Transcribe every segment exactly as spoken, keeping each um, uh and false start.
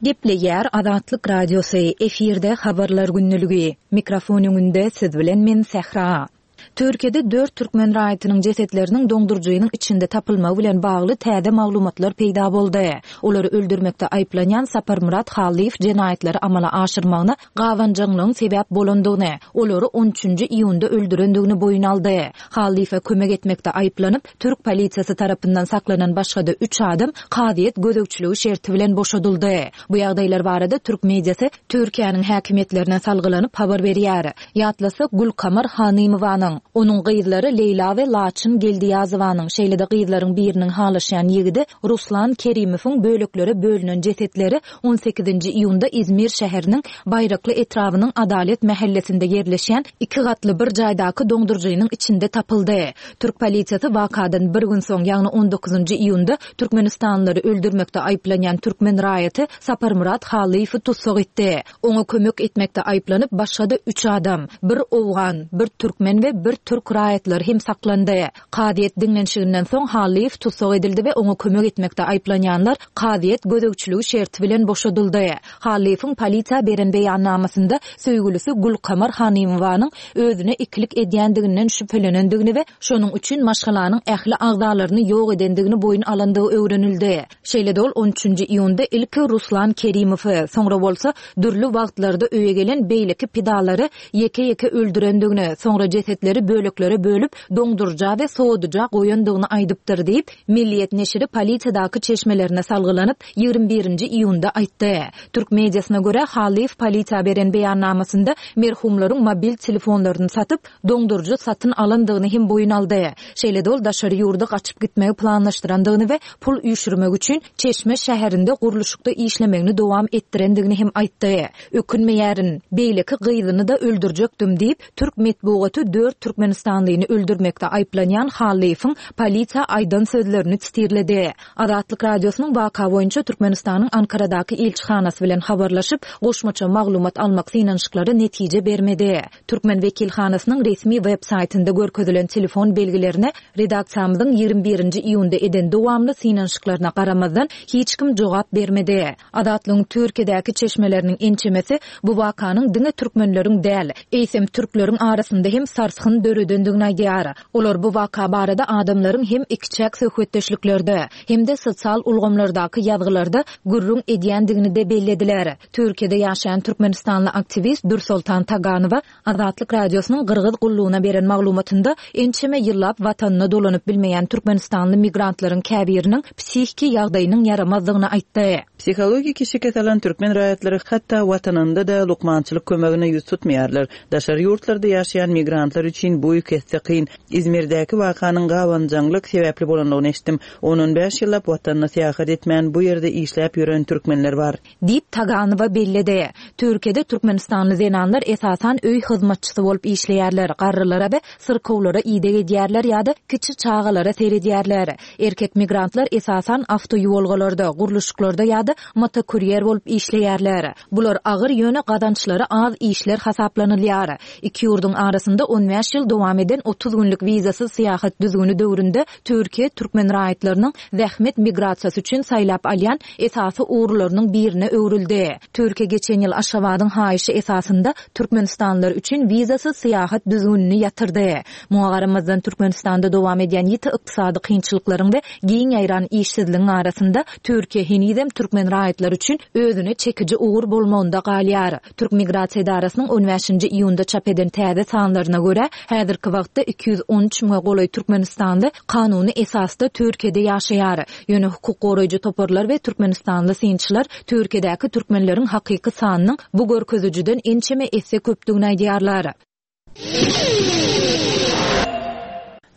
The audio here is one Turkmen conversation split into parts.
Gepleýär Azatlyk Radiosy, efirde Habarlar gündeligi. Mikrofon öňünde siz bilen men Sähra. Türkiýede dört türkmen raýatynyň jesetleriniň doňduryjynyň içinde tapylmagy bilen bagly täze maglumatlar peýda boldy. Olary öldürmekde aýyplanýan Saparmyrat Hallyýew jenaýatlary amala aşyrmagyna gabanjaňlygyň sebäp bolandygyny, olary on üçünji iýunda öldürendigini boýun aldy. Hallyýewe kömek etmekde aýyplanyp, türk polisiýasy tarapyndan saklanan başga-da üç adam kazyýet gözegçiligi şerti bilen boşadyldy. Bu ýagdaýlar barada türk mediasy Türkiýäniň häkimiýetlerine salgylanyp habar berýär. Ýatlasak, Gülkamar Hanymowanyň, onuň gyzlary Leýla we Laçyn Geldiýazowanyň, şeýle-de gyzlaryň biriniň halaşýan ýigidi Ruslan Kerimowyň böleklere bölünen jesetleri on sekizinji iýunda Izmir şäheriniň Baýrakly etrabynyň Adalet mähellesinde ýerleşýän iki gatly bir jaýdaky doňduryjynyň içinde tapyldy. Türk polisiýasy wakadan bir gün soň, ýagny on dokuzynjy iýunda türkmenistanlylary öldürmekde aýyplanýan türkmen raýaty Saparmyrat Hallyýewi tussag etdi. Oňa kömek etmekde aýyplanyp, başga-da üç adam, bir owgan, bir türkmen we bir türk raýatlary hem saklandy. Kazyýet diňlenişiginden soň Hallyýew tussag edildi we oňa kömek etmekde aýyplanýanlar kazyýet gözegçiligi şerti bilen boşadyldy. Hallyýewiň polisiýa beren beýannamasynda söýgülisi Gülkamar Hanymowanyň özüne ikilik edýändiginden şübhelenendigini we şonuň üçin maşgalanyň ähli agzalaryny ýok edendigini boýun alandygy öwrenildi. Şeýle-de ol on üçünji iýunda ilki Ruslan Kerimowy, soňra bolsa dürli wagtlarda öýe gelen beýleki pidalary ýeke-ýeke öldürendigini, soňra jesetleri böleklere bölüp, doňduryja we sowadyja goýandygyny aýdypdyr diýip, Milliýet neşiri polisiýadaky çeşmelerine salgylanyp, ýigrimi birinji iýunda aýtdy. Türk mediasyna görä, Hallyýew polisiýa beren beýannamasynda merhumlaryň mobil telefonlaryny satyp, doňduryjy satyn alandygyny hem boýun aldy. Şeýle-de ol daşary ýurda gaçyp gitmegi planlaşdyrandygyny we pul üýşürmek üçin Çeşme şäherinde gurluşykda işlemegini dowam etdirendigini hem aýtdy. Ökünmeýärin, beýleki gyzyny-da öldürjekdim diýip, türk metbugaty dört türkmenistanlyny öldürmekde aýyplanýan Hallyýewiň polisiýa aýdan sözlerini sitirledi. Azatlyk Radiosynyň waka boýunça Türkmenistanyň Ankaradaky ilçihanasy bilen habarlaşyp, goşmaça maglumat almak synanyşyklary netije bermedi. Türkmen wekilhanasynyň resmi web saýtynda görkezilen telefon belgilerine redaksiýamyzyň ýigrimi birinji iýunda eden dowamly synanyşyklaryna garamazdan hiç kim jogap bermedi. Azatlygyň Türkiýedäki çeşmeleriniň ençemesi bu wakanyň diňe türkmenleriň däl, eýsem türkleriň arasynda hem sarsgyn döredendigini aýdýar. Olar bu waka barada adamlaryň hem ikiçäk söhbetdeşliklerde, hem-de sosial ulgamlardaky ýazgylarda gürrüň edýändigini-de bellediler. Türkiýede ýaşaýan türkmenistanly aktiwist Dürsoltan Taganowa Azatlyk Radiosynyň Gyrgyz gullugyna beren maglumatynda ençeme ýyllap watanyna dolanyp bilmeýän türkmenistanly migrantlaryň käbiriniň psihiki ýagdaýynyň ýaramazdygyny aýtdy. Psihologiki şikes alan türkmen raýatlary hatda watanynda-da lukmançylyk kömegine ýüz tutmaýarlar. Daşary ýurtlarda ýaşaýan migrantlar üçin bu iki esse kyn. Izmirdäki wakanyň gabanjaňlyk sebäpli bolandygyny eşitdim. On-on bäş ýyllap watanyna syýahat etmän, bu ýerde işläp ýören türkmenler bar. Diýip, Taganowa belledi. Türkiýede türkmenistanly zenanlar esasan öý hyzmatçysy bolup işleýärler, garrylara we syrkawlara ideg edýärler ýa-da kiçi çagalara seredýärler. Erkek migrantlar esasan awtoýuwalgalarda, gurluşyklarda ýa-da motokurýer bolup işleýärler. Bular agyr, ýöne gazançlary az işler hasaplanylýar. Iki ýurduň arasynda on bäş ýyl dowam eden otuz günlük wizasyz syýahat düzgüni döwründe Türkiýe türkmen raýatlarynyň zähmet migrasiýasy üçin saýlap alýan esasy ugurlarynyň birine öwrüldi. Türkiýe geçen ýyl Aşgabadyň haýyşy esasynda türkmenistanlylar üçin wizasyz syýahat düzgünini ýatyrdy. Muňa garamazdan, Türkmenistanda dowam edýän ýiti ykdysady kynçylyklaryň we giň ýaýran işsizligiň arasynda Türkiýe henizem türkmen raýatlary üçin özüne çekiji ugur bolmagynda galýar. Türk migrasiýa edarasynyň on bäşinji iýunda çap eden täze sanlaryna görä, häzirki wagtda iki ýüz on üç müňe golaý türkmenistanly kanuny esasda Türkiýede ýaşaýar. Ýöne hukuk goraýjy toparlar we türkmenistanly synçylar Türkiýedäki türkmenleriň hakyky sanynyň bu görkezijiden ençeme esse köpdügini aýdýarlar.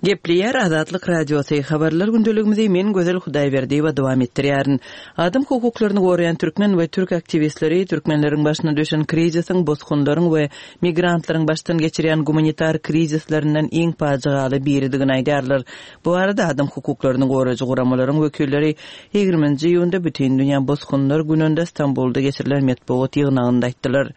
Gepleýär Azatlyk Radiosy, Habarlar gündeligimizi men Gözel Hudaýberdiýewa dowam etdirýärin. Adam hukuklaryny goraýan türkmen we türk aktiwistleri türkmenleriň başyna düşen krizisiň bosgunlaryň we migrantlaryň başdan geçirýän gumanitar krizislerinden iň pajygaly biridigini aýdýarlar. Bu barada adam hukuklaryny goraýjy guramalaryň wekilleri ýigriminji iýunda Bütindünýä bosgunlar gününde Stambulda geçirilen metbugat ýygnagynda aýtdylar.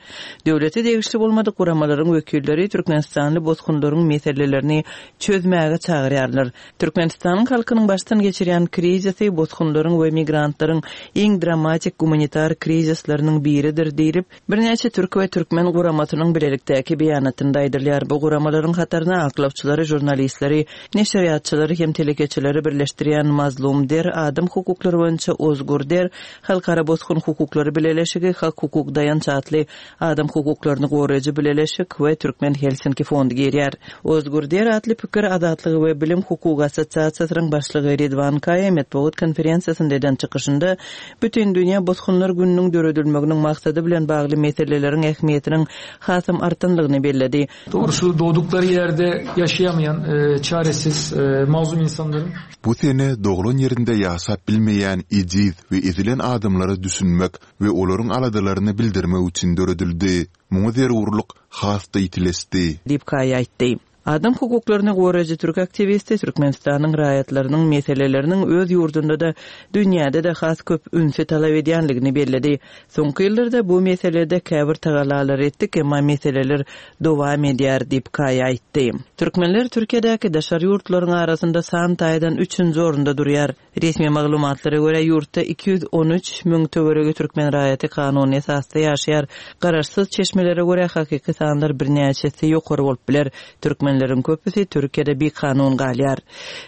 Döwlete degişli bolmadyk guramalaryň wekilleri türkmenistanly bosgunlaryň meselelerini çözmäge etmäge çagyrýarlar. Türkmenistanyň halkynyň başdan geçirýän krizisi bosgunlaryň we migrantlaryň iň dramatik gumanitar krizisleriniň biridir diýlip, birnäçe türk we türkmen guramasynyň bilelikdäki beýanatynda aýdylýar. Bu guramalaryň hataryna aklawçylary, žurnalistleri, neşirýatçylary hem telekeçileri birleşdirýän Mazlum Der, adam hukuklary boýunça Ozgur Der, Halkara bosgun hukuklary bileleşigi, Hak hukuk daýanç atly adam hukuklaryny goraýjy bileleşik we Türkmen Helsinki fondy girýär. Ozgur Der atly pikir azatlygy we bilim hukugy assosiasiýasynyň başlygy Ridwan Kaýa metbugat konferensiýasynda eden çykyşynda Bütindünýä bosgunlar gününiň döredilmeginiň maksady bilen bagly meseleleriň ähmiýetiniň hasam artanlygyny belledi. Doğrusu doğdukları ýerde ýaşaýamaýan, e, çaresiz, e, mazlum insanların Bu sene doglan ýerinde ýaşap bilmeýän ejiz we ezilen adamlara düşünmek we olaryň aladalaryny bildirmek üçin döredildi. Muňa zerurlyk has-da ýitileşdi. Diýip Kaýa aýtdy. Adam hukuklaryny goraýjy türk aktiwisti Türkmenistanyň raýatlarynyň meseleleriniň öz ýurdunda-da, dünýäde-de has köp ünsi talap edýänligini belledi. Soňky ýyllarda bu meselede käbir tagalalar etdik, emma meseleler dowam edýär diýip Kaýa aýtdy. Türkmenler Türkiýedäki daşary ýurtlaryň arasynda san taýdan üçünji orunda durýar. Resmi maglumatlara görä ýurtda iki ýüz on üç müň töweregi türkmen raýaty kanuny esasda ýaşaýar. Garaşsyz çeşmelere görä hakyky sanlar birnäçesi ýokary bolup biler. Türkmenleriň köpüsi Türkiýede bikanun galýar.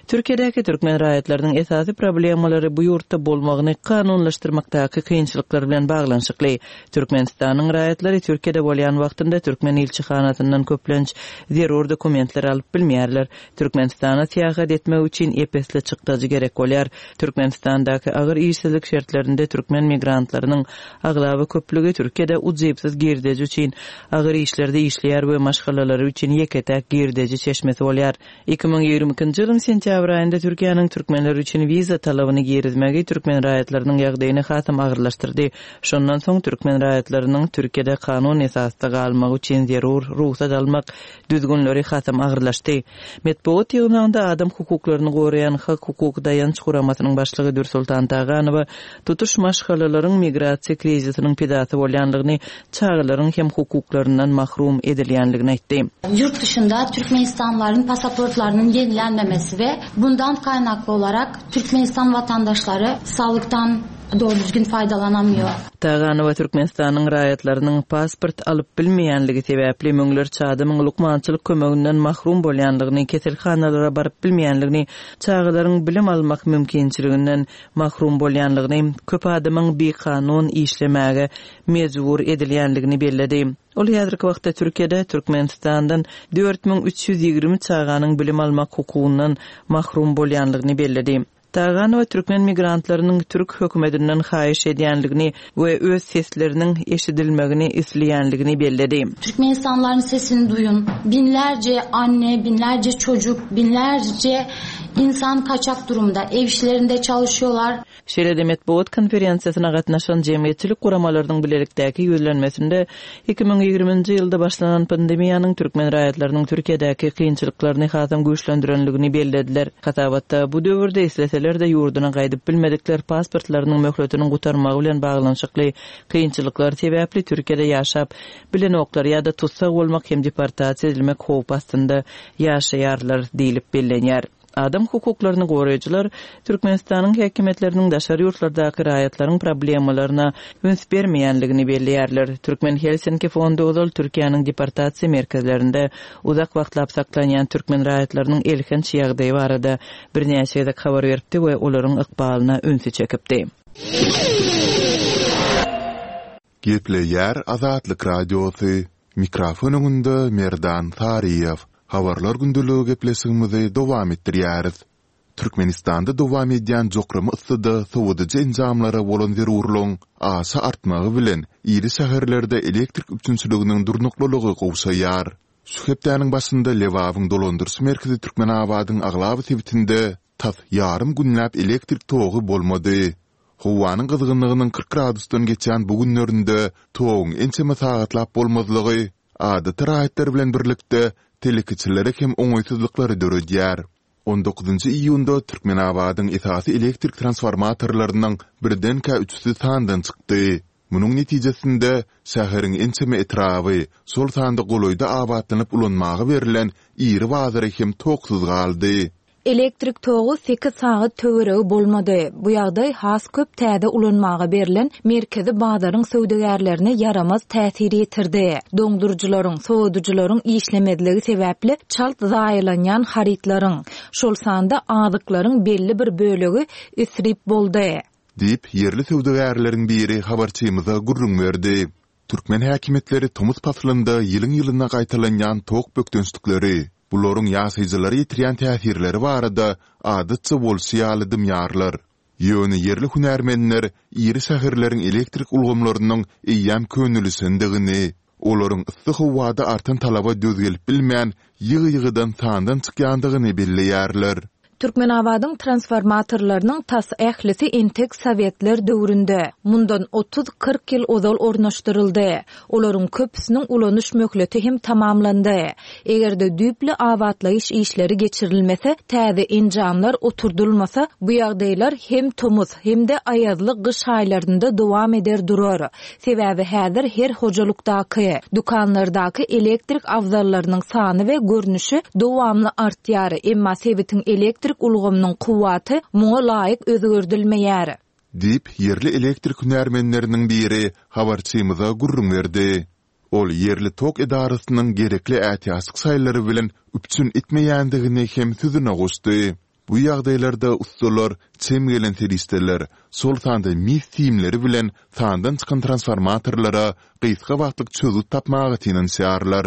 Türkiýedäki türkmen raýatlarynyň esasy problemalary bu ýurtda bolmagyny kanunlaşdyrmakdaky kynçylyklar bilen baglanyşykly. Türkmenistanyň raýatlary Türkiýede bolýan wagtynda türkmen ilçihanasyndan köplenç zerur dokumentler alyp bilmeýärler. Türkmenistana syýahat etmek üçin epesli çykdajy gerek bolýar. Türkmenistandaky agyr işsizlik şertlerinde türkmen migrantlarynyň aglaba köplügi Türkiýede ujypsyz girdeji üçin agyr işlerde işleýär we maşgalalary üçin ýeke-täk girdeji çeşmesi bolýar. Iki müň ýigrimi ikinji ýylyň sentýabr aýynda Türkiýäniň türkmenler üçin wiza talabyny girizmegi türkmen raýatlarynyň ýagdaýyny hasam agyrlaşdyrdy. Şondan soň türkmen raýatlarynyň Türkiýede kanun esasda galmagy üçin zerur rugsat almak düzgünleri hasam agyrlaşdy. Metbugat ýygnagynda adam hukuklaryny goraýan Hak hukuk daýanç guramasynyň başlygy Dürsultan Taganowa tutuş maşgalalaryň migrasiýa krizisiniň pidasy bolýanlygyny, çagalaryň hem hukuklaryndan mahrum edilýänligini aýtdy. Ýurt dışında Türkmenistanlylaryň pasaportlarynyň ýenilenmemesi we bundan kaynakly olarak Türkmenistan vatandaşlary sağlıktan doğru düzgün faýdalanamıyor. Taganowa Türkmenistanyň raýatlarynyň pasport alyp bilmeýänligi sebäpli müňlerçe adamyň lukmançylyk kömeginden mahrum bolýanlygyny, keselhanalara baryp bilmeýänligini, çagalaryň bilim almak mümkinçiliginden mahrum bolýanlygyny, köp adamyň bikanun işlemäge mejbur edilýänligini belledi. Ol häzirki wagtda Türkiýede Türkmenistandan dört müň üç ýüz ýigrimi çaganyň bilim almak hukugyndan mahrum bolýanlygyny belledi. Taganowa türkmen migrantlarynyň türk hökümetinden haýyş edýänligini we öz sesleriniň eşidilmegini isleýänligini belledi. Türkmenistanlylaryň sesini duyun. Binlerce anne, binlerce çocuk, binlerce insan kaçak durumda. Ev işlerinde çalışıyorlar. Şeýle-de metbugat konferensiýasyna gatnaşan jemgyýetçilik guramalarynyň bilelikdäki ýüzlenmesinde iki müň ýigriminji ýylda başlanan pandemiýanyň türkmen raýatlarynyň Türkiýedäki kynçylyklaryny hasam güýçlendirenligini bellediler. Hasabatda bu döwürde isleseler-de ýurduna gaýdyp bilmedikler pasportlarynyň möhletiniň gutarmagy bilen baglanyşykly kynçylyklar sebäpli Türkiýede ýaşap bilenoklar ýa-da tutsak bolmak hem deportasiýa edilmek howpy astynda ýaşaýarlar diýlip bellenýär. Adam hukuklaryny goraýjylar Türkmenistanyň häkimiýetleriniň daşary ýurtlardaky raýatlaryň problemalaryna üns bermeýänligini belleýärler. Türkmen Helsinki fondy ozal Türkiýäniň deportasiýa merkezlerinde uzak wagtlap saklanýan türkmen raýatlarynyň elhenç ýagdaýy barada birnäçe gezek habar beripdi we olaryň ykbalyna ünsi çekipdi. Gepleýär Azatlyk Radiosy. Mikrofon öňünde Merdan Saryýew. Habarlar gündeligi gepleşigimizi dowam etdirýäris. Türkmenistanda dowam edýän jokrama yssyda sowadyjy enjamlara bolan zerurlygyň aşa artmagy bilen iri şäherlerde elektrik üpjünçiliginiň durnuklylygy gowşaýar. Şu hepdäniň başynda Lebabyň dolandyryş merkezi Türkmenabadyň aglaba sebitinde tas ýarym günläp elektrik togy bolmady. Howanyň gyzgynlygynyň kyrk gradusdan geçýän bu günlerinde toguň ençeme sagatlap bolmazlygy adaty raýatlar bilen birlikde telekeçilere hem oňaýsyzlyklary döredýär. On dokuzynjy iýunda Türkmenabadyň esasy elektrik transformatorlarynyň birdenkä üçüsi sandan çykdy. Munuň netijesinde, şäheriň ençeme etraby, şol sanda golaýda abatlanyp ulanmaga berlen iri bazary hem toksuz galdy. Elektrik togy sekiz sagat töweregi bolmady. Bu ýagdaý has köp täze ulanmaga berlen merkezi bazaryň söwdagärlerine ýaramaz täsir ýetirdi. Doňduryjylaryň, sowadyjylaryň işlemezligi sebäpli çalt zaýalanýan harytlaryň, şol sanda azyklaryň belli bir bölegi isrip boldy. Diýip, ýerli söwdagärleriň biri habarçymyza gürrüň berdi. Türkmen häkimiýetleri tomus paslynda ýylyň-ýylyna gaýtalanýan tok bökdençlikleri, bularyň ýaşaýjylara ýetirýän täsirleri barada adatça bolşy ýaly dymýarlar. Ýöne ýerli hünärmenler iri şäherleriň elektrik ulgamlarynyň eýýäm könelişendigini, olaryň yssy howada artan talaba döz gelip bilmän, ýygy-ýygydan sandan çykýandygyny belleýärler. Türkmenabadyň transformatorlarynyň tas ählisi entek sowetler döwründe, mundan otuz-kyrk ýyl ozal ornaşdyryldy. Olaryň köpüsiniň ulanyş möhleti hem tamamlandy. Eger-de düýpli abatlaýyş işleri geçirilmese, täze enjamlar oturdylmasa, bu ýagdaýlar hem tomus, hem-de aýazly gyş aýlarynda dowam eder durar. Sebäbi häzir her hojalykdaky, dükanlardaky elektrik abzallarynyň sany we görnüşi dowamly artýar, emma sebitiň elektrik ulgamynyň kuwwaty muňa laýyk özgerdilmeýär. Diýip, ýerli elektrik hünärmenleriniň biri habarçymyza gürrüň berdi. Ol ýerli tok edarasynyň gerekli ätiýaçlyk şaýlary bilen üpjün etmeýändigini hem sözüne goşdy. Bu ýagdaýlarda ussalar çem gelen serişdeler, şol sanda mis simleri bilen sandan çykan transformatorlara gysga wagtlyk çözgüt tapmaga synanyşýarlar.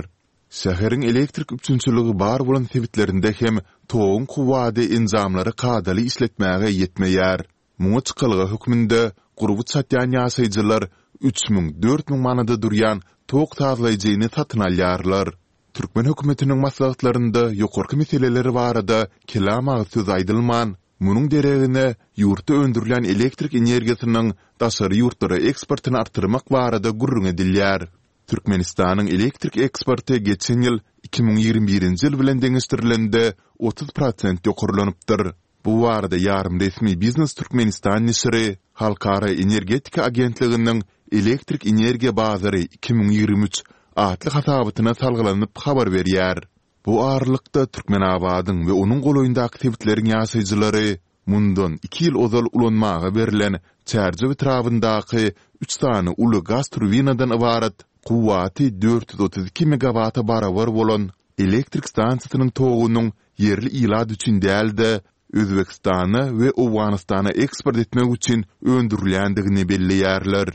Şäheriň elektrik üpjünçiligi bar bolan sebitlerinde hem toguň kuwwady enjamlary kadaly işletmäge ýetmeýär. Muňa çykalga hökmünde gurby çatýan ýaşaýjylar üç müň, dört müň manada durýan tok sazlaýjyny satyn alýarlar. Türkmen hökümetiniň maslahatlarynda ýokarky meseleler barada kelam agyz söz aýdylman, munuň deregine ýurtda öndürilýän elektrik energiýasynyň daşary ýurtlara eksportyny artdyrmak barada gürrüň edilýär. Türkmenistanyň elektrik eksporty geçen ýyl iki müň ýigrimi birinji ýyl bilen deňeşdirilende otuz prosent ýokarlanypdyr. Bu barada ýarym resmi Biznes Türkmenistan neşiri Halkara energetika agentliginiň Elektrik energiýa bazary iki müň ýigrimi üç atly hasabatyna salgylanyp habar berýär. Bu aralykda, Türkmenabadyň we onuň golaýyndaky sebitleriň ýaşaýjylary mundan iki ýyl ozal ulanmaga berlen Çärjew etrabyndaky üç sany uly gaz turbinadan ybarat kuwwaty dört ýüz otuz iki megawata barabar bolan elektrik stansiýasynyň togunyň ýerli ilat üçin däl-de, Özbegistana we Owganystana eksport etmek üçin öndürilýändigini belleýärler.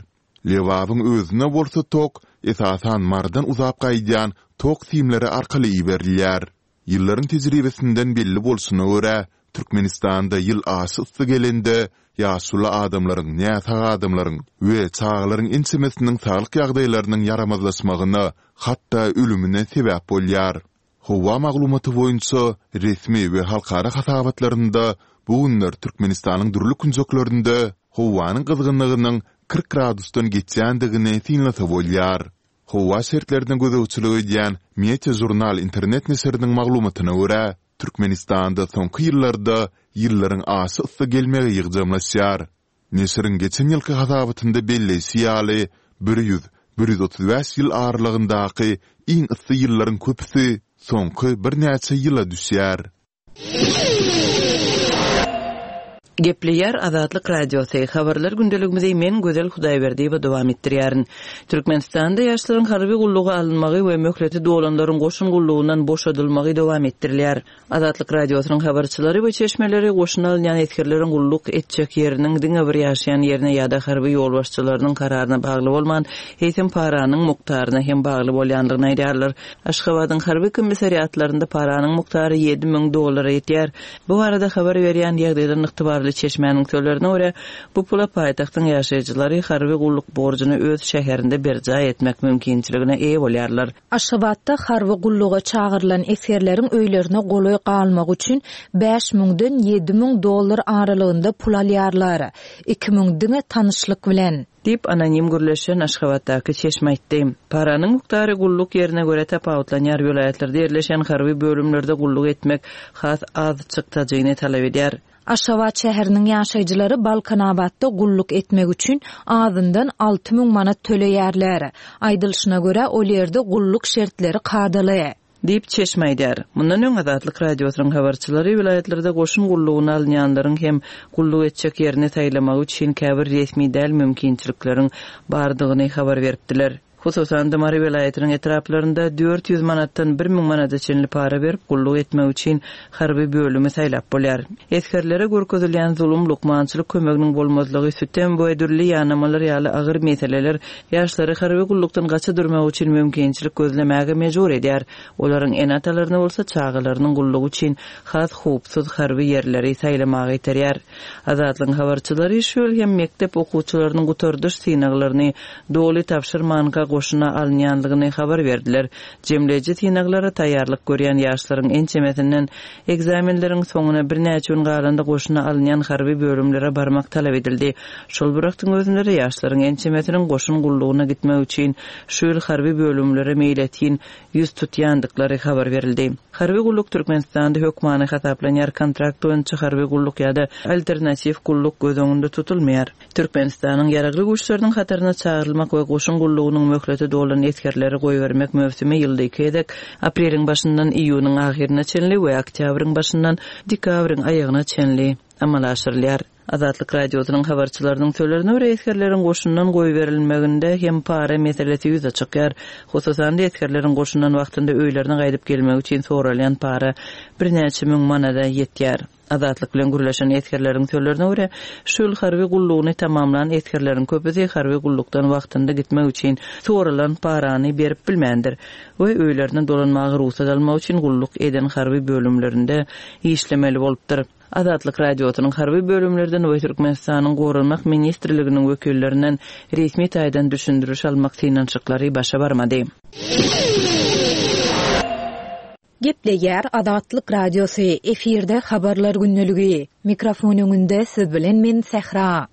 Lebabyň özüne bolsa tok, esasan, Marydan uzap gaýdýan tok simleri arkaly iberilýär. Ýyllaryň tejribesinden belli bolşuna görä, Türkmenistanda ýyl aşa yssy gelende, ýaşuly adamlaryň, näsag adamlaryň we çagalaryň ençemesiniň saglyk ýagdaýlarynyň ýaramazlaşmagyna, hatda ölümine sebäp bolýar. Howa maglumaty boýunça resmi we halkara hasabatlarynda bu günler Türkmenistanyň dürli künjeklerinde howanyň gyzgynlygynyň kyrk gradusdan geçýändigini synlasa bolýar. Howa şertlerine gözegçilik edýän Meteožurnal internet neşiriniň maglumatyna görä, Türkmenistanda soňky ýyllarda ýyllaryň aşa yssy gelmegi ýygjamlaşýar. Neşiriň geçen ýylky hasabatynda belleýşi ýaly, bir ýüz, bir ýüz otuz bäş ýyl aralygyndaky iň yssy ýyllaryň köpüsi soňky birnäçe ýyla düşýär. Gepleýär Azatlyk Radiosy, Habarlar gündeligimizi men Gözel Hudaýberdiýewa dowam etdirýärin. Türkmenistanda ýaşlaryň harby gulluga alynmagy we möhleti dolanlaryň goşun gullugyndan boşadylmagy dowam etdirilýär. Azatlyk Radiosynyň habarçylary we çeşmeleri goşuna alynýan esgerleriň gulluk etjek ýeriniň diňe bir ýaşaýan ýerine ýa-da harby ýolbaşçylarynyň kararyna bagly bolman, eýsem paranyň mukdaryna hem bagly bolýandygyny aýdýarlar. Aşgabadyň harby komissariatlarynda paranyň mukdary ýedi müň dollara ýetýär. Bu barada habar berýän ýagdaýdan ygtybarly çeşmäniň sözlerine görä, bu pula paýtagtyň ýaşaýjylary harby gulluk borjuny öz şäherinde berjaý etmek mümkinçiligine eýe bolýarlar. Aşgabatda harby gulluga çagyrylan esgerleriň öýlerine golaý galmagy üçin bäş müňden ýedi müň dollar aralygynda pul alýarlar. Iki müň diňe tanyşlyk bilen. Diýip, anonim gürleşen Aşgabatdaky çeşme aýtdy. Paranyň mukdary gulluk ýerine görä tapawutlanýar, welaýatlarda ýerleşen harby bölümlerde gulluk etmek has az çykdajyny talap edýär. Aşgabat şäheriniň ýaşaýjylary Balkanabatda gulluk etmek üçin azyndan alty müň manat töleýärler. Aýdylyşyna görä, ol ýerde gulluk şertleri kadaly. Diýip çeşme aýdar. Mundan öň Azatlyk Radiosynyň habarçylary welaýatlarda goşun gullugyna alynýanlaryň hem gulluk etjek ýerini saýlamagy üçin käbir resmi däl mümkinçilikleriň bardygyny habar beripdiler. Hususan-da Mary welaýatynyň etraplarynda dört ýüz manatdan bir müň manada çenli para berip gulluk etmek üçin harby bölümi saýlap bolýar. Esgerlere görkezilýän zulum, lukmançylyk kömeginiň bolmazlygy, sütem we dürli ýanamalar ýaly agyr meseleler ýaşlary harby gullukdan gaça durmak üçin mümkinçilik gözlemäge mejbur edýär. Olaryň ene-atalaryny bolsa çagalarynyň gullugy üçin has howpsuz harby ýerleri saýlamaga iterýär. Azatlygyň habarçylary şu ýyl hem mekdep okuwçylarynyň gutardyş synaglaryny doly tabşyrmanka goşuna alynýanlygyny habar berdiler. Jemleýji synaglara taýýarlyk görýän ýaşlaryň ençemesinden ekzamenleriň soňuna birnäçe gün galanda goşuna alynýan harby bölümlere barmak talap edildi. Şol bir wagtyň özünde ýaşlaryň ençemesiniň goşun gullugyna gitmek üçin şu ýyl harby bölümlere meýletin ýüz tutýandyklary habar berildi. Harby gulluk Türkmenistanda hökmany hasaplanýar, kontrakt boýunça harby gulluk ýa-da alternatiw gulluk göz öňünde tutulmaýar. Türkmenistanyň ýaragly güýçleriniň hataryna çagyrylmak we goşun gullugynyň möhleti dolan esgerleri goýbermek möwsümi ýylda iki gezek, apreliň başyndan iýunyň ahyryna çenli we oktýabryň başyndan dekabryň aýagyna çenli amala aşyrylýar. Azatlyk Radiosynyň habarçylarynyň sözlerine görä, esgerleriň goşundan goýberilmeginde hem para meselesi ýüze çykýar. Hususan-da esgerleriň goşundan wagtynda öýlerine gaýdyp gelmek üçin soralýan para birnäçe müň manada ýetýär. Azatlyk bilen gürleşen esgerleriň sözlerine görä, şu ýyl harby gullugyny tamamlan esgerleriň köpüsi harby gullukdan wagtynda gitmek üçin soralan parany berip bilmändir we öýlerine dolanmaga rugsat almak üçin gulluk eden harby bölümlerinde işlemeli bolupdyr. Azatlyk Radiosynyň harby bölümlerden we Türkmenistanyň Goranmak Ministrliginiň wekillerinden resmi taýdan düşündiriş almak synanyşyklary başa barmady. Gepleýär Azatlyk Radiosy, efirde habarlar gündeligi. Mikrofon öňünde siz bilen men Sähra.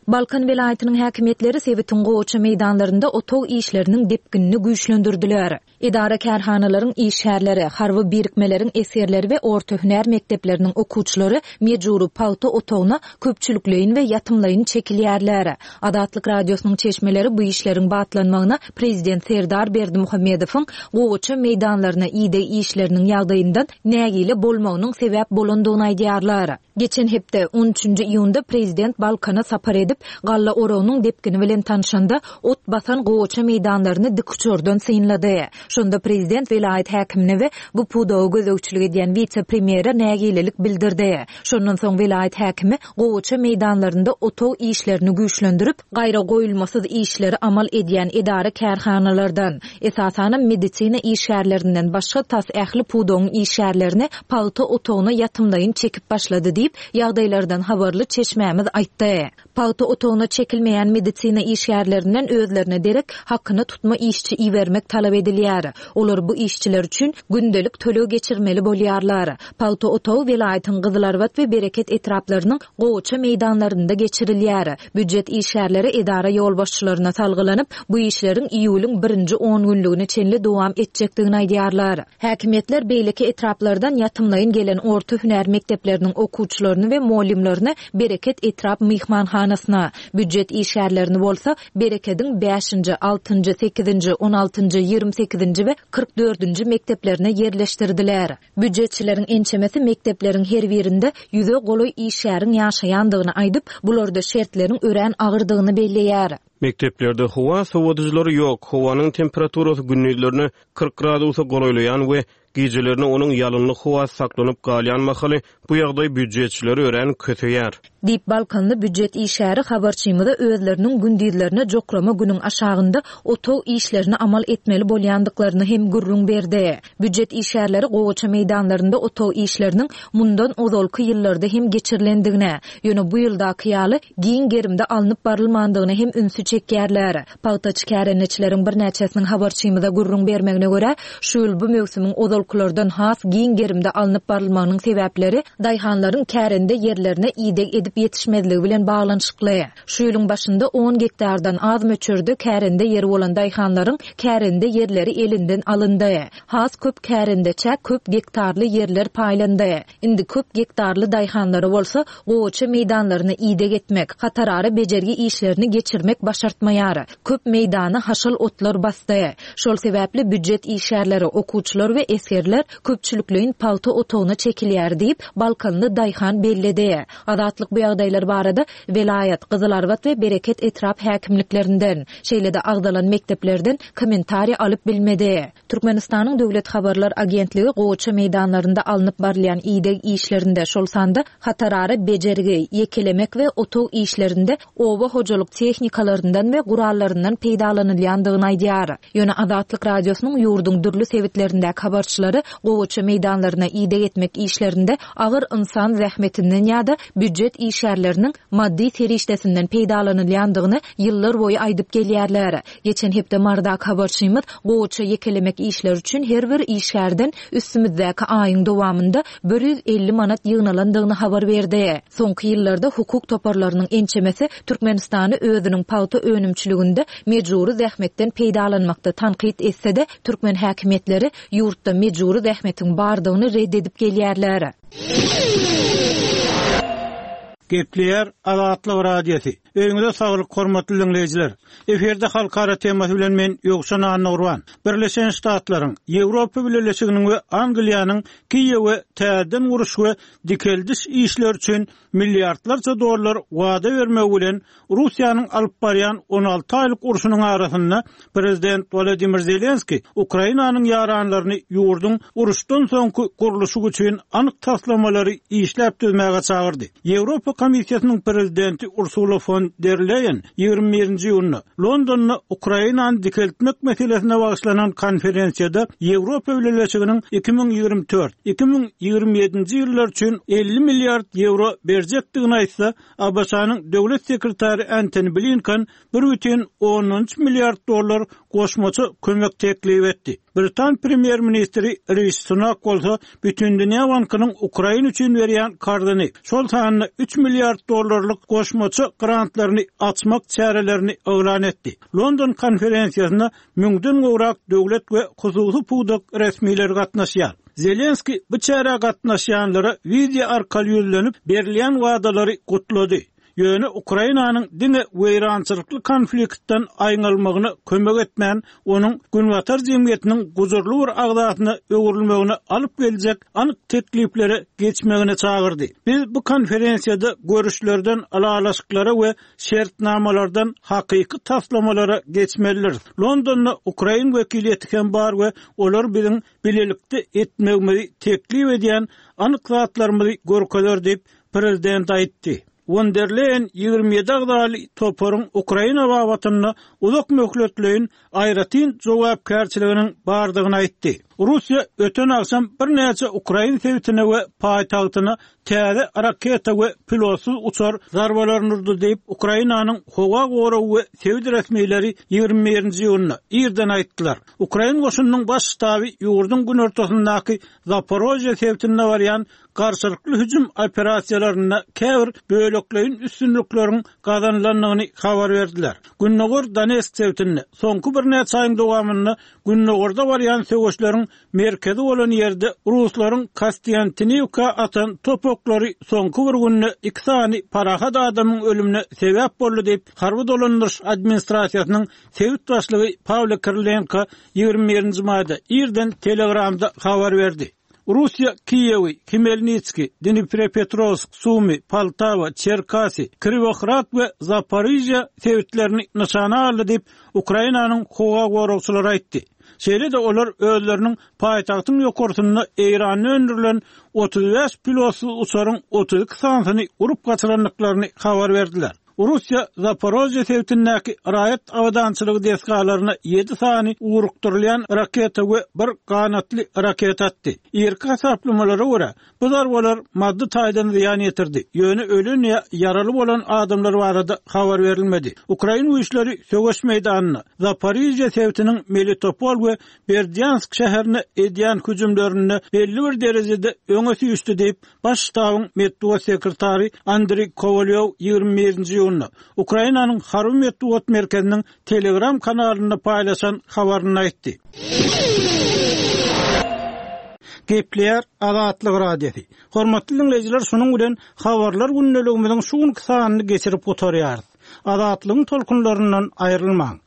Balkan welaýatynyň häkimiýetleri sebitiň gowaça meýdanlarynda otag işleriniň depginini güýçlendirdiler. Edara kärhanalaryň işgärleri, harby birikmeleriň esgerleri we orta hünär mekdepleriniň okuwçylary mejbury pagta otagyna köpçülikleýin we ýatymlaýyn çekilýärler. Azatlyk Radiosynyň çeşmeleri bu işleriň batlanmagyna Prezident Serdar Berdimuhamedowyň gowaça meýdanlaryna ideg işleriniň ýagdaýyndan nägile bolmagynyň sebäp bolandygyny aýdýarlar. Geçen hepde on üçünji iýunda Prezident Balkana sapar edip, galla oragynyň depgini bilen tanşanda ot basan gowaça meýdanlaryny dikuçardan synlady. Şonda Prezident welaýat häkimine we bu pudaga gözegçilik edýän wise-premýere nägilelik bildirdi. Şondan soň welaýat häkimi gowaça meýdanlarynda otag işlerini güýçlendirip, gaýra goýulmasyz işleri amal edýän edara kärhanalardan, esasanam medisina işgärlerinden başga tas ähli pudagyň işgärlerini pagta otagyna ýatymlaýyn çekip başlady diýip, ýagdaýlardan habarly çeşmämiz aýtdy. Pagta otagyna çekilmeýän medisina işgärlerinden özlerine derek hakyna tutma işçi ibermek talap edilýär. Olar bu işçiler üçin gündelik töleg geçirmeli bolýarlar. Pagta otagy welaýatyň Gyzylarbat we Bereket etraplarynyň gowaça meýdanlarynda geçirilýär. Býujet işgärleri edara ýolbaşçylaryna salgylanyp, bu işleriň iýulyň birinji on günlügine çenli dowam etjekdigini aýdýarlar. Häkimiýetler beýleki etraplardan ýatymlaýyn gelen orta hünär mekdepleriniň okuwçylaryny we muallimlerini Bereket etrap myhmanhanasyna, býujet işgärlerini bolsa Berekediň bäşinji, altynjy, sekizinji, on altynjy, ýigrimi sekizinji we kyrk dördünji mekdeplerine ýerleşdirdiler. Býujetçileriň ençemesi mekdepleriň her birinde ýüze golaý işgäriň ýaşaýandygyny aýdyp, bularda şertleriň örän agyrdygyny belleýär. Mekdeplerde howa sowadyjylary ýok, howanyň temperaturasy gündizlerine kyrk gradusa golaýlaýan we gijelerine onuň ýalynly howa saklanyp galýan mahaly bu ýagdaý býujetçileri örän köseýär. Diýip Balkanly býujet işgäri habarçymyza özleriniň gündizlerine jokrama günüň aşagynda otag işlerini amal etmeli bolýandyklaryny hem gürrüň berdi. Býujet işgärleri gowaça meýdanlarynda otag işleriniň mundan ozalky ýyllarda hem geçirilendigine, ýöne bu ýyldaky ýaly giň gerimde alnyp barylmandygyna hem ünsi çekýärler. Pagtaçy kärendeçileriň birnäçesiniň habarçymyza gürrüň bermegine görä, şu ýyl bu möwsümiň ozalkylardan has giň gerimde alnyp barylmagynyň sebäpleri daýhanlaryň kärende ýerlerine ideg edip ýetip ýetişmezligi bilen baglanyşykly. Şu ýylyň başynda on gektardan az möçberde kärende ýeri bolan daýhanlaryň kärende ýerleri elinden alyndy. Has köp kärendeçä köp gektarly ýerler paýlandy. Indi köp gektarly daýhanlara bolsa gowaça meýdanlaryny ideg etmek, hatarara bejergi işlerini geçirmek başartmaýar. Köp meýdany haşal otlar basdy. Şol sebäpli býujet işgärleri, okuwçylar we esgerler köpçülikleýin pagta otagyna çekilýär diýip, Balkanly daýhan belledi. Azatlyk bu ýagdaýlar barada welaýat, Gyzylarbat we Bereket etrap häkimliklerinden, şeýle-de agzalan mekdeplerden kommentariý alyp bilmedi. Türkmenistanyň Döwlet habarlar agentligi gowaça meýdanlarynda alnyp barylýan ideg işlerinde, şol sanda hatarara bejergi, ýekelemek we otag işlerinde oba hojalyk tehnikalaryndan we gurallaryndan peýdalanylýandygyny aýdýar. Ýöne Azatlyk radiosynyň ýurduň dürli sebitlerindäki habarçylary gowaça meýdanlaryna ideg etmek işlerinde agyr insan zähmetinden ýa-da býujet işgärleriniň maddy serişdesinden peýdalanylýandygyny ýyllar boýy aýdyp gelýärler. Geçen hepde Mardak habarçymyz gowaça ýekelemek işleri üçin her bir işgärden üstümizdäki aýyň dowamynda bir ýüz elli manat ýygnalandygyny habar berdi. Soňky ýyllarda hukuk toparlarynyň ençemesi Türkmenistany özüniň pagta önümçiliginde mejbury zähmetden peýdalanmakda tankyt etse-de, türkmen häkimiýetleri ýurtda mejbury zähmetiň bardygyny red edip gelýärler. Gepleýär Azatlyk Radiosy. Öýüňize saglyk hormatly dinleýjiler. Efirde halkara temasy bilen men Ýowşan Annagurban. Birleşen Ştatlaryň, Ýewropa Bileleşiginiň we Angliýanyň Kiýewe täzeden guruş we dikeldiş işleri üçin milliardlarça dollar wada bermegi bilen Russiýanyň alyp barýan on alty aýlyk urşunyň arasynda Prezident Wladimir Zelenski Ukrainanyň ýaranlaryny ýurduň uruşdan soňky gurluşy üçin anyk taslamalary işläp düzmäge çagyrdy. Ýewropa Komissiýasynyň prezidenti Ursula fon der Leyen ýigrimi birinji iýunda Londonda Ukrainany dikeltmek meselesine bagyşlanan konferensiýada Ýewropa Bileleşiginiň iki müň ýigrimi dört iki müň ýigrimi ýedinji ýyllar üçin elli milliard ýewro berjekdigini aýtsa, A B Ş-nyň döwlet sekretary Antony Blinken bir bütin ondan üç milliard dollar goşmaça kömek teklip etdi. Britan premýer-ministri Rishi Sunak bolsa Bütindünýä Bankynyň Ukraina üçin berýän karzyny, şol sanda üç milliard dollarlyk goşmaça grantlaryny açmak çärelerini yglan etdi. London konferensiýasyna müňden gowrak döwlet we hususy pudak resmileri gatnaşýar. Zelenski bu çärä gatnaşýanlara wideo arkaly ýüzlenip berilýän wadalary gutlady. Ýöne Ukrainanyň diňe weýrançylykly konfliktden aýňalmagyna kömek etmän, onuň Günbatar jemgyýetiniň gujurly bir agzasyna öwrülmegine alyp geljek anyk tekliplere geçmegine çagyrdy. Biz bu konferensiýada görüşlerden ylalaşyklara we şertnamalardan hakyky taslamalara geçmelidiris. Londonda Ukrain wekiliýeti hem bar we olar biziň bilelikde etmegimizi teklip edýän anyk zatlarymyzy görkezer diýip prezident aýtdy. Von der Leyen ýigrimi ýedi agzaly toparyň Ukraina babatynda uzak möhletleýin aýratyn jogapkärçiliginiň bardygyny aýtdy. Russiýa öten agşam birnäçe Ukrain sebitine we paýtagtyna täze raketa we pilotsyz uçar zarbalaryny urdy diýip Ukrainanyň howa goragy we sebit resmileri ýigrimi birinji iýunda irden aýtdylar. Ukrain goşunynyň baş ştaby ýurduň günortasyndaky Zaporojye sebitinde barýan garşylykly hüjüm operasiýalarynda käbir bölekleýin üstünlikleriň gazanylandygyny habar berdiler. Gündogar Donetsk sebitinde soňky birnäçe aýyň dowamynda Gündogarda barýan söweşleriň merkezi bolan ýerde Ruslaryň Kostiantiniwka atan topaklary soňky bir günde iki sany parahat adamyň ölümine sebäp boldy diýip Harby dolandyryş administrasiýasynyň sebit başlygy Pawlo Kirilenko ýigrimi birinji maýda irden Telegramda habar berdi. Russiýa Kiýewi, Hmelnitski, Dnipropetrowsk, Sumy, Poltawa, Çerkasy, Kriwohrad we Zaporizhýa sebitlerini nyşana aldy diýip Ukrainanyň howa goragçylary aýtdy. Şeýle-de olar özleriniň paýtagtyň ýokarsynda Eýranda öndürilen otuz bäş pilotsyz uçaryň otuz iki sanysyny urup gaçyrandyklaryny habar berdiler. Russiýa Zaporožýe sebitindäki raýat abadançylygy desgalaryna ýedi sany ugrukdyrylýan raketa we bir ganatly raketa atdy. Irki hasaplamalara görä, bu zarbalar maddy taýdan zyýan ýetirdi, ýöne ölen ýa ýaraly bolan adamlar barada habar berilmedi. Ukrain güýçleri söweş meýdanynda Zaporižýe sebitiniň Melitopol we Berdýansk şäherine edýän hüjümlerinde belli bir derejede öňe süýşdi diýip, Baş ştabyň metbugat sekretary Andriý Kowalýow ýigrimi birinji iýunda Ukrainanyň Harby metbugat merkeziniň Telegram kanalynda paýlaşan habarynda aýtdy. Gepleýär Azatlyk Radiosy. Hormatly diňleýjiler, şunuň bilen Habarlar gündeligimiziň şu günki sanyny geçirip gutarýarys. Azatlygyň tolkunlaryndan aýrylmaň!